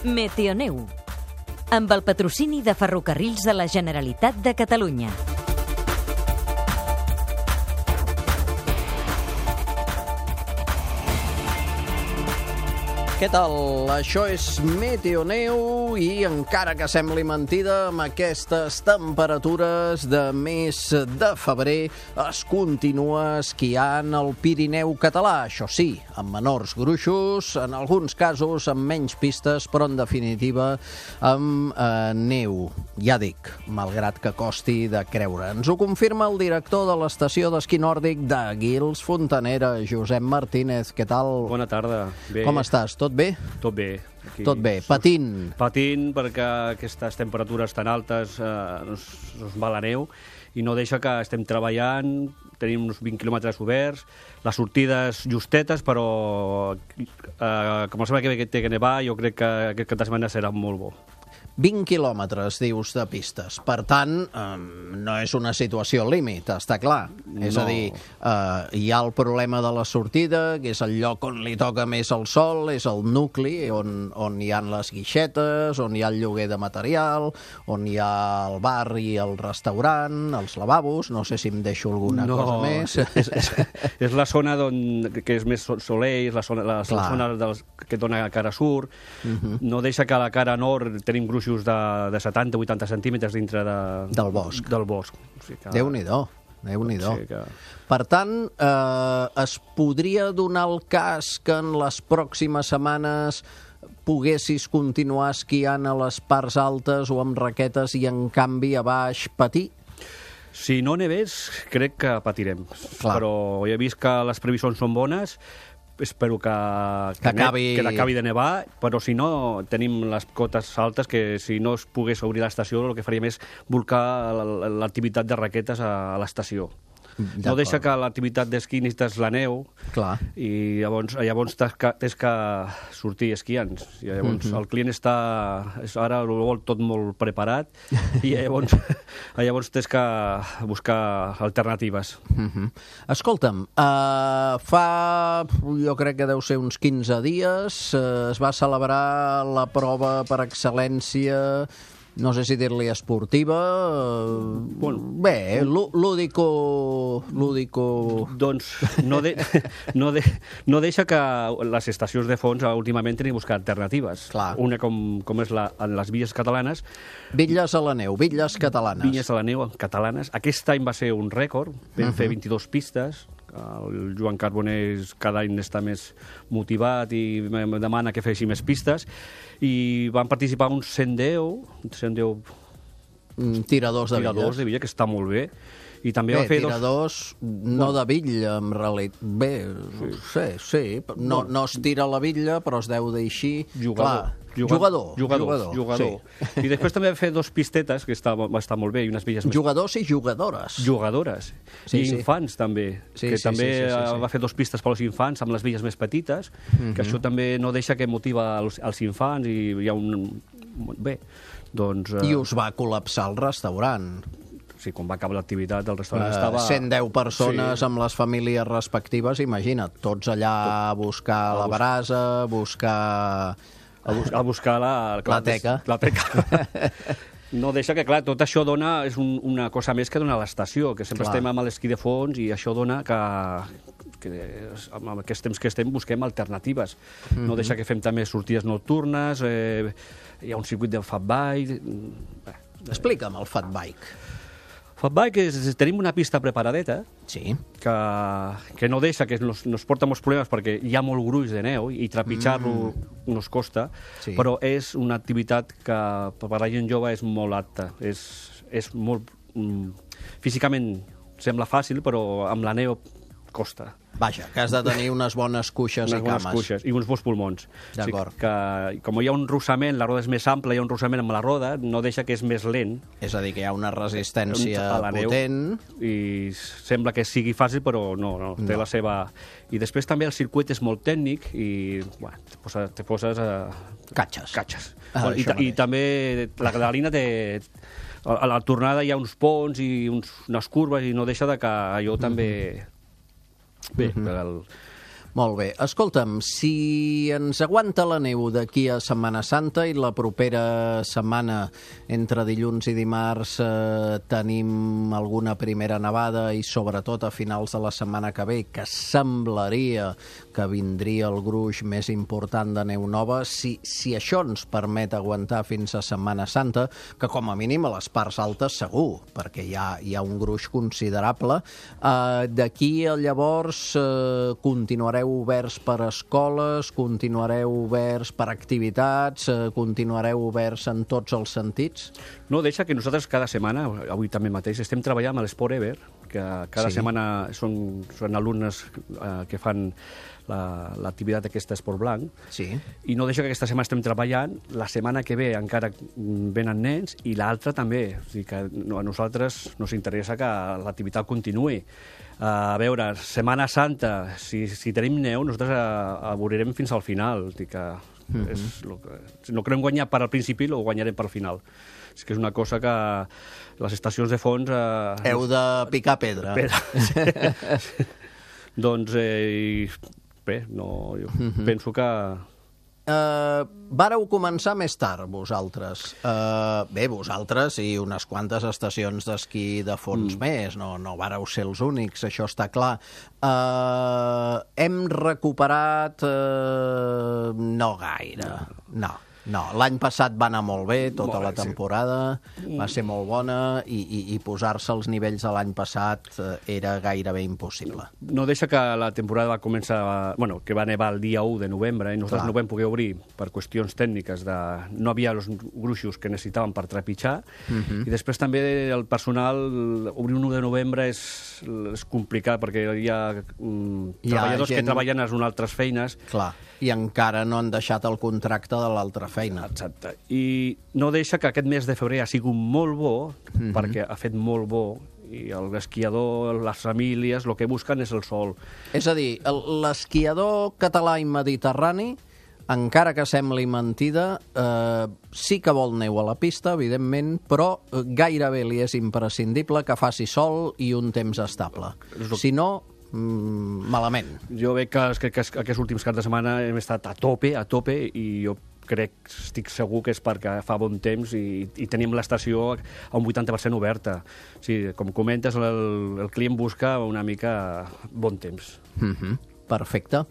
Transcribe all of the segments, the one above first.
Meteoneu, amb el patrocini de Ferrocarrils de la Generalitat de Catalunya. Què tal? Això és Meteoneu i encara que sembli mentida, amb aquestes temperatures de mes de febrer es continua esquiant al Pirineu català. Això sí, amb menors gruixos, en alguns casos amb menys pistes, però en definitiva amb neu. Ja dic, malgrat que costi de creure. Ens ho confirma el director de l'estació d'esquí nòrdic de Guils, Fontanera, Josep Martínez. Què tal? Bona tarda. Bé. Com estàs? Tot bé? Tot bé. Aquí, Tot bé. Patint? Patint perquè aquestes temperatures tan altes nos va la neu i no deixa que estem treballant, tenim uns 20 quilòmetres oberts, les sortides justetes, però com la setmana que té que nevar, jo crec que aquest cap de setmana serà molt bo. 20 quilòmetres, dius, de pistes. Per tant, no és una situació límit, està clar. És a dir, hi ha el problema de la sortida, que és el lloc on li toca més el sol, és el nucli, on hi ha les guixetes, on hi ha el lloguer de material, on hi ha el bar i el restaurant, els lavabos, no sé si em deixo alguna cosa més. És la zona que és més soler, és la zona que dona cara sur. No deixa que a la cara nord tenim gruixos de 70-80 centímetres dintre del bosc. O sigui que... Déu-n'hi-do. Déu-n'hi-do. Sí que... Per tant, es podria donar el cas que en les pròximes setmanes poguessis continuar esquiant a les parts altes o amb raquetes i, en canvi, a baix patir? Si no nevés, crec que patirem. Clar. Però ja he vist que les previsions són bones, espero que acabi de nevar, però si no, tenim les cotes altes que si no es pogués obrir l'estació el que faríem és volcar l'activitat de raquetes a l'estació. No deixa que l'activitat d'esquí necessites la neu. Clar. I llavors tens que sortir esquiant. I llavors el client ara ho vol tot molt preparat i llavors tens que buscar alternatives. Escolta'm, jo crec que deu ser uns 15 dies, es va celebrar la prova per excel·lència, no sé si dir-li esportiva, bé, lúdico... Doncs no deixa que les estacions de fons últimament tinguin buscar alternatives. Clar. Una com és en les Villes catalanes. Bitlles a la neu, Villes catalanes. Villes a la neu catalanes. Aquest any va ser un rècord, vam fer 22 pistes. El Joan Carbonell cada any està més motivat i em demana que faci més pistes i van participar uns 110 tiradors de Villa, que està molt bé. I també va fer tiradors no de Villa, en realitat. Bé, sí. No es tira la Villa, però es deu d'eixir... Jugador. Sí. I després també va fer 2 pistetes, que va estar molt bé, i unes villes més... Jugadors i jugadores. Jugadores. I infants, també. Va fer 2 pistes per als infants, amb les villes més petites, que això també no deixa que motiva els infants, i hi ha un... Bé, doncs... I us va col·lapsar el restaurant. Sí, quan va acabar l'activitat, el restaurant estava... 110 persones amb les famílies respectives, imagina't, tots allà a buscar la brasa, a buscar la teca. No deixa que, clar, tot això és una cosa més que dona l'estació, que sempre estem amb l'esquí de fons i això dona que amb aquests temps que estem busquem alternatives. No deixa que fem també sortides nocturnes, hi ha un circuit del fat bike... Explica'm el fat bike. Fat bike tenim una pista preparadeta que no deixa, que nos porta molts problemes perquè hi ha molt gruix de neu i trepitjar-lo nos costa, però és una activitat que per la gent jove és molt apta, és molt... Físicament sembla fàcil, però amb la neu costa. Vaja, que has de tenir unes bones cuixes i cames. I uns bons pulmons. D'acord. O sigui, com hi ha un rossament, la roda és més ampla, hi ha un rossament amb la roda, no deixa que és més lent. És a dir, que hi ha una resistència potent. I sembla que sigui fàcil, però no, té la seva... I després també el circuit és molt tècnic i te poses catxes. I també la Catalina té... A la tornada hi ha uns ponts i unes curves i no deixa que allò també... Bé, Molt bé. Escolta'm, si ens aguanta la neu d'aquí a Setmana Santa i la propera setmana, entre dilluns i dimarts, tenim alguna primera nevada i sobretot a finals de la setmana que ve, que semblaria que vindria el gruix més important de neu nova, si això ens permet aguantar fins a Setmana Santa, que com a mínim a les parts altes segur, perquè hi ha un gruix considerable, d'aquí a llavors continuareu oberts per escoles, continuareu oberts per activitats, continuareu oberts en tots els sentits? No, deixa que nosaltres cada setmana, avui també mateix, estem treballant amb l'Esport Ever, que cada setmana són alumnes que fan l'activitat d'aquest esport blanc, i no deixa que aquesta setmana estem treballant, la setmana que ve encara venen nens i l'altra també, o sigui que a nosaltres nos interessa que l'activitat continuï. A veure, Setmana Santa, si tenim neu, nosaltres avorrirem fins al final, que si no querem guanyar per al principi, ho guanyarem per al final. És que és una cosa que les estacions de fons... Heu de picar pedra. Sí. Doncs, bé, jo penso que... Vàreu començar més tard, vosaltres. Bé, vosaltres i unes quantes estacions d'esquí de fons més, no vàreu ser els únics, això està clar. Hem recuperat... No gaire, no, l'any passat va anar molt bé, tota la temporada, va ser molt bona i posar-se als nivells de l'any passat era gairebé impossible. No deixa que la temporada va començar, que va nevar el dia 1 de novembre i nosaltres no vam poder obrir per qüestions tècniques, no havia els gruixos que necessitàvem per trepitjar, i després també el personal, obrir un 1 de novembre és complicat perquè hi ha treballadors que treballen en altres feines. Clar, i encara no han deixat el contracte de l'altra feina. Exacte. I no deixa que aquest mes de febrer ha sigut molt bo, perquè ha fet molt bo, i l'esquiador, les famílies, el que busquen és el sol. És a dir, l'esquiador català i mediterrani, encara que sembli mentida, sí que vol neu a la pista, evidentment, però gairebé li és imprescindible que faci sol i un temps estable. Si no, malament. Jo veig que aquests últims caps de setmana hem estat a tope, i jo estic segur que és perquè fa bon temps i tenim l'estació a un 80% oberta. Sí, com comentes, el client busca una mica bon temps. Perfecte.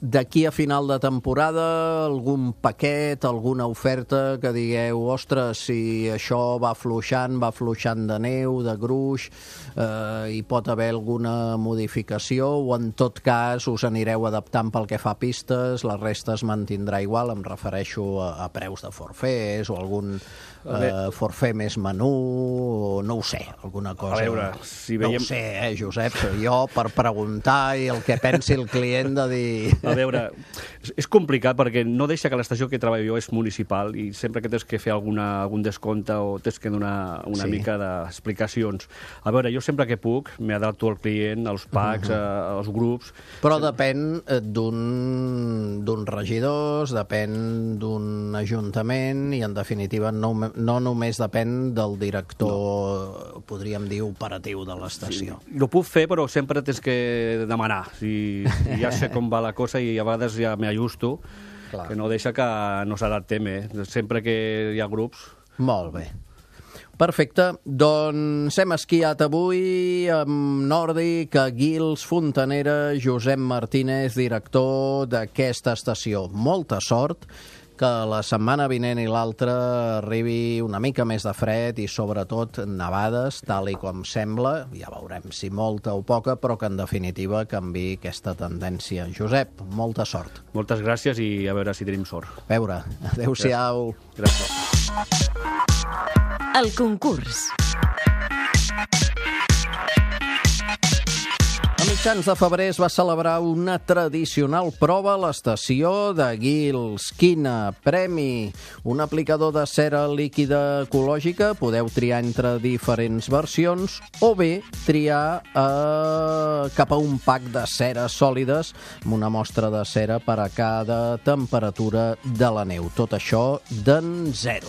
D'aquí a final de temporada, algun paquet, alguna oferta que digueu, ostres, si això va afluixant de neu, de gruix, hi pot haver alguna modificació, o en tot cas us anireu adaptant pel que fa a pistes, la resta es mantindrà igual, em refereixo a preus de forfers o algun forfait més menú, o no ho sé, alguna cosa. A veure, si veiem... No ho sé, Josep, jo per preguntar i el que pensi el client de dir... A veure, és complicat perquè no deixa que l'estació que treballo jo és municipal i sempre que tens que fer algun descompte o tens que donar una mica d'explicacions. A veure, jo sempre que puc m'adapto al client, als packs, als grups... Però depèn d'un regidor, depèn d'un ajuntament i, en definitiva, no només depèn del director, podríem dir, operatiu de l'estació. Sí, ho puc fer, però sempre tens que demanar. Ja sé com va la cosa i a vegades ja m'ajusto, que no deixa que no s'adaptem, sempre que hi ha grups. Molt bé. Perfecte. Doncs hem esquiat avui amb Nòrdic, Guils, Fontanera, Josep Martínez, director d'aquesta estació. Molta sort, que la setmana vinent i l'altra arribi una mica més de fred i sobretot nevades, tal i com sembla, ja veurem si molta o poca, però que en definitiva canviï aquesta tendència. Josep, molta sort. Moltes gràcies i a veure si tenim sort. A veure, adéu-siau. Gràcies. El concurs. A mitjans de febrer es va celebrar una tradicional prova a l'estació de Guils. Quina? Premi? Un aplicador de cera líquida ecològica. Podeu triar entre diferents versions o bé triar cap a un pack de ceres sòlides amb una mostra de cera per a cada temperatura de la neu. Tot això d'en 0.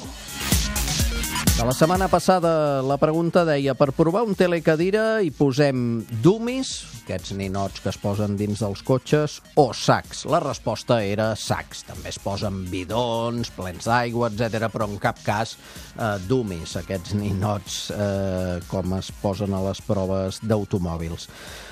La setmana passada la pregunta deia: per provar un telecadira hi posem dummies, aquests ninots que es posen dins dels cotxes, o sacs? La resposta era sacs. També es posen bidons, plens d'aigua, etc, però en cap cas dummies, aquests ninots com es posen a les proves d'automòbils.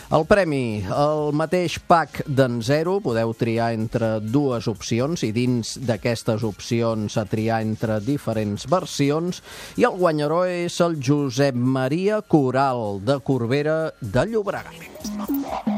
El premi, el mateix pack d'en Zero, podeu triar entre dues opcions i dins d'aquestes opcions a triar entre diferents versions, i el guanyador és el Josep Maria Coral, de Corbera de Llobregat.